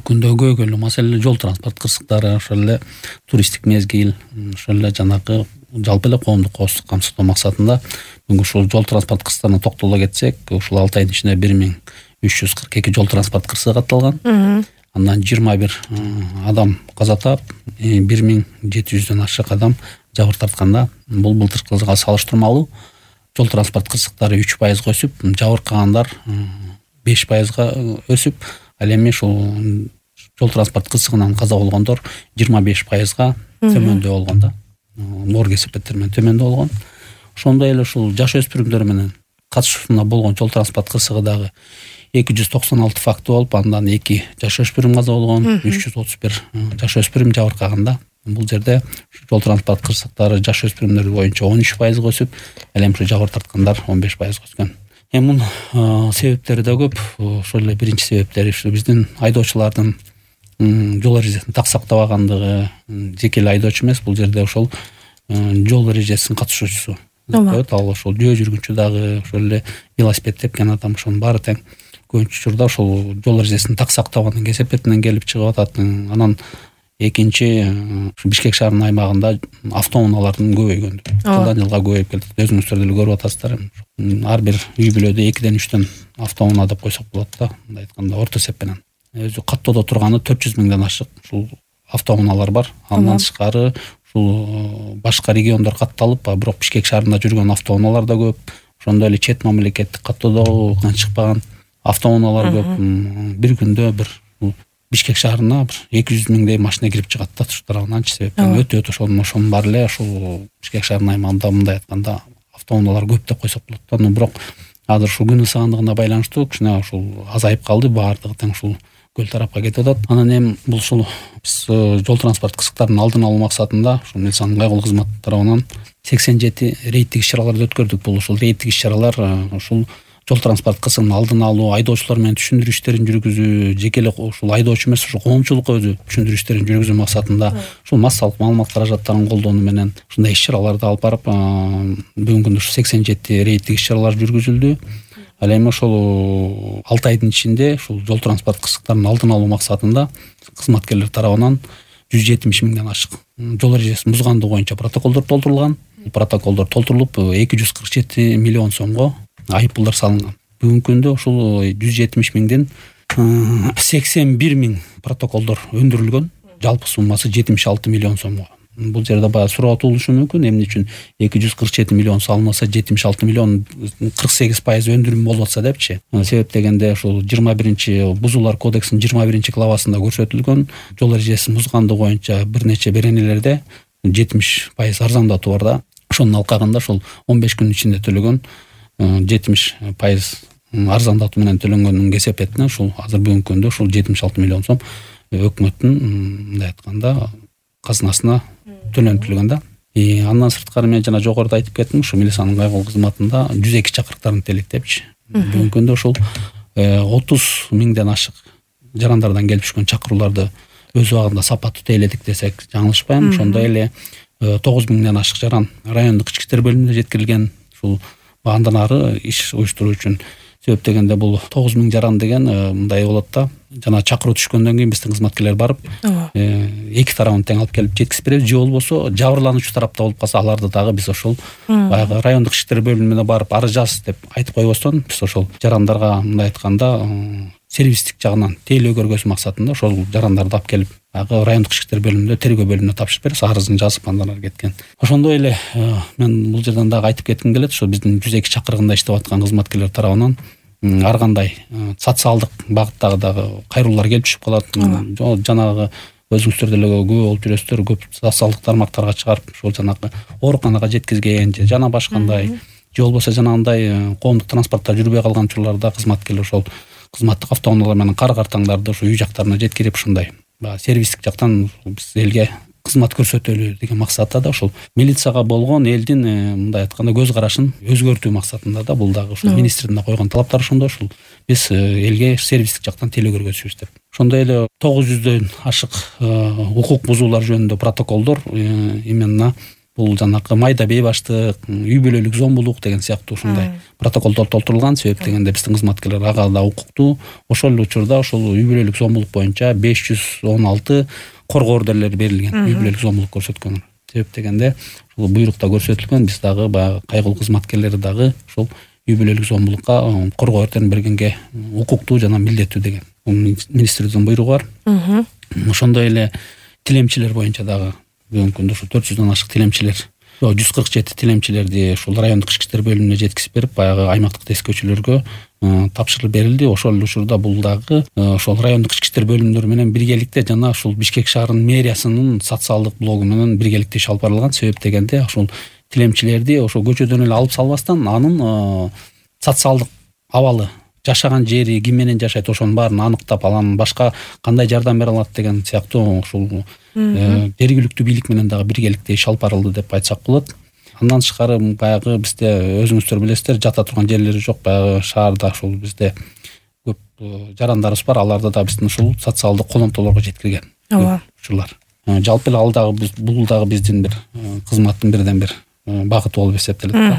күндө көйгөйлүү маселе жол транспорт кырсыктары, ошол эле туристтик мезгил, ошол эле жанагы жалпы эле коомдук коопсуздук камсыздоо максатында бүгүн ушул жол транспорт кырсыктарына токтоло кетсек, ушул 6 айдын ичинде 1342 жол транспорт кырсыгы катталган. Андан 21 адам каза таап, 1700дөн ашык адам жабыр тартканда, бул былтыркы жылга салыштырмалуу жол транспорт кырсыктары 3% өсүп, жабыркагандар 5% өсүп, ал эми ушул жол транспорт кырсыгынан каза болгондор 25%га төмөндө болгон да. Оор кесепеттер менен төмөндө болгон. Ошондой эле ушул жаш өспүрүмдөр менен катышуусунда болгон жол транспорт кырсыгы дагы 296 факты болуп, андан 2 жаш өспүрүм каза болгон, 331 жаш өспүрүм жабыркаганда. Бул жерде жол транспорт кырсыктары жаш өспүрүмдөр боюнча 13% өсүп, ал эми жабыр тарткандар 15% өскөн. Эми мунун себептери да көп. Ошол эле биринчи себептери биздин айдоочулардын жол эрежесин так сактабагандыгы. Жеке эле айдоочу эмес, бул жерде ошол жол эрежесинин катышуучусу. Ал ошол жөө жүргүнчү дагы, ошол эле велосипед тепкен адам, ошонун баары тең. Көбүнчө учурда ошол жол эрежесин так сактабагандын кесепетинен келип чыгып атат. Анан экинчи, Бишкек шаарынын аймагында автоунаалардын көбөйгөндүгү. Жылдан жылга көбөйүп келатат. Өзүңүздөр деле көрүп атасыздар. Ар бир үй бүлөдө 2ден 3төн автоунаа деп койсок болот да, мындай айтканда орто эсеп менен. Өзү каттоодо турганы 400 миңден ашык ушул автоунаалар бар. Андан тышкары ушул башка региондор катталып, бирок Бишкек шаарында жүргөн автоунаалар да көп. Ошондой эле чет мамлекеттик каттоодон чыкпаган автоунаалар көп. Бир күндө бир Бишкек шаарына 200 миңдей машина кирип чыгат да туш тарабынан, себептен өтө ошонун баары эле ушул Бишкек шаарынын аймагында мындай айтканда автоунаалар көп деп койсок болот да. Бирок азыр ушул күн ысыгандыгына байланыштуу кичине ушул азайып калды, баардыгы тең ушул көл тарапка кетип атат. Анан эми бул ушул биз жол транспорт кырсыктарынын алдын алуу максатында ушул милициянын кайгылуу кызматы тарабынан 87 рейдтик иш-чараларды өткөрдүк. Бул ушул рейдтик иш-чаралар ушул жол транспорт кырсыгынын алдын алуу, айдоочулар менен түшүндүрүү иштерин жүргүзүү, жеке эле ушул айдоочу эмес, ушул коомчулукка өзү түшүндүрүү иштерин жүргүзүү максатында ушул массалык маалымат каражаттарын колдонуу менен ушундай иш-чараларды алып барып, бүгүнкү күндө 87 рейдтик иш-чаралар жүргүзүлдү. Ал эми ошол 6 айдын ичинде ушул жол транспорт кырсыктарынын алдын алуу максатында кызматкерлер тарабынан 170 миңден ашык жол эрежесин бузгандыгы боюнча протоколдор толтурулган. Протоколдор толтурулуп 247 миллион сомго айыппулдар салынган. Бүгүнкү күндө ушул 170 миңден 81 миң протоколдор өндүрүлгөн. Жалпы суммасы 76 миллион сомго. Бул жерде баягы суроо туулушу мүмкүн. Эмне үчүн 247 миллион салынса 76 миллион 48% өндүрүм болуп атса депчи. Себеп дегенде ушул 21 бузуулар кодексинин 21 главасында көрсөтүлгөн жол эрежесин бузгандыгы боюнча бир нече беренелерде 70% арзандатуу бар да. Ошонун алкагында ушул 15 күн ичинде төлөгөн 70% арзандатуу менен төлөнгөнүн кесепетине ушул азыр бүгүнкү күндө ушул 76 миллион сом өкмөттүн мындай айтканда казынасына төлөнтүлгөн да. Андан сырткары мен жана жогоруда айтып кеттим, ушу милициянын кайгылуу кызматында 102 чакырыктарын телектепчи. Бүгүнкү күндө ушул 30 миңден ашык жарандардан келип түшкөн чакырууларды өз убагында сапаттуу тейледик десек жаңылышпайм. Ошондой эле 9 миңден ашык жаран райондук ички иштер бөлүмүнө жеткирилген. Ушул андан ары иш уюштуруу үчүн себеп дегенде бул 9 миң жаран деген мындай болот да. Жана чакыруу түшкөндөн кийин биздин кызматкерлер барып эки тарабын тең алып келип жеткизип беребиз. Же болбосо жабырлануучу тарапта болуп калса, аларды дагы биз ошол баягы райондук ички иштер бөлүмүнө барып арыз деп айтып койбостон, биз ошол жарандарга мындай айтканда сервистик жагынан тейлөө көргөзүү максатында ошол жарандарды алып келип райондук ички иштер бөлүмүндө тергөө бөлүмүнө тапшырып берип, арызын жазып андан ары кеткен. Ошондой эле мен бул жерден дагы айтып кетким келет, ошо биздин 102 чакырыгында иштеп аткан кызматкерлер тарабынан ар кандай социалдык багыттагы дагы кайруулар келип түшүп калат. Жанагы өзүңүздөр деле күбө болуп жүрөсүздөр, көп социалдык тармактарга чыгарып, ошол жанагы ооруканага жеткизген же жана башкандай, же болбосо жанагындай коомдук транспортто жүрбөй калган учурларда кызматкерлер ошол кызматтык автоунаалар менен кар-картаңдарды ошо үй жактарына жеткирип, ушундай сервистик жактан биз элге кызмат көрсөтөлү деген максатта да ошол милицияга болгон элдин мындай айтканда көз карашын өзгөртүү максатында да бул дагы ушул министрдин да койгон талаптары ошондой. Ушул биз элге сервистик жактан тейлөө көргөзүбүз деп. Ошондой эле 900дөн ашык укук бузуулар жөнүндө протоколдор именно бул жанакы майда бейбаштык, үй бүлөлүк зомбулук деген сыяктуу ушундай протоколдор толтурулган. Себеп дегенде биздин кызматкерлер ага да укуктуу. Ошол эле учурда ошол үй бүлөлүк зомбулук боюнча 516 коргоо ордерлери берилген, үй бүлөлүк зомбулук көрсөткөн. Себеп дегенде ушул буйрукта көрсөтүлгөн, биз дагы баягы кайгылуу кызматкерлери дагы ушул үй бүлөлүк зомбулукка коргоо ордерин бергенге укуктуу жана милдеттүү деген министрликтин буйругу бар. Ошондой эле тилемчилер боюнча дагы бүгүнкү күндө ушу 400дөн ашык тилемчилер, 147 тилемчилерди ушул райондук ички иштер бөлүмүнө жеткизип берип, баягы аймактык тескөөчүлөргө тапшырылып берилди. Ошол учурда бул дагы ошол райондук ички иштер бөлүмдөрү менен биргеликте жана ушул Бишкек шаарынын мэриясынын социалдык блогу менен биргеликте иш алып барылган. Себеп дегенде ушул тилемчилерди ошо көчөдөн эле алып салбастан анын социалдык абалы, жашаган жери, ким менен жашайт, ошонун баарын аныктап, анан башка кандай жардам бере алат деген сыяктуу ушул жергиликтүү бийлик менен дагы биргеликте иш алып барылды деп айтсак болот. Андан тышкары баягы бизде өзүңүздөр билесиздер, жата турган жерлери жок. Баягы шаарда ушул бизде көп жарандарыбыз бар. Аларды да биздин ушул социалдык колонтолорго жеткирген учурлар. Жалпы эле ал дагы бул дагы биздин бир кызматтын бирден бир багыты болуп эсептелет да.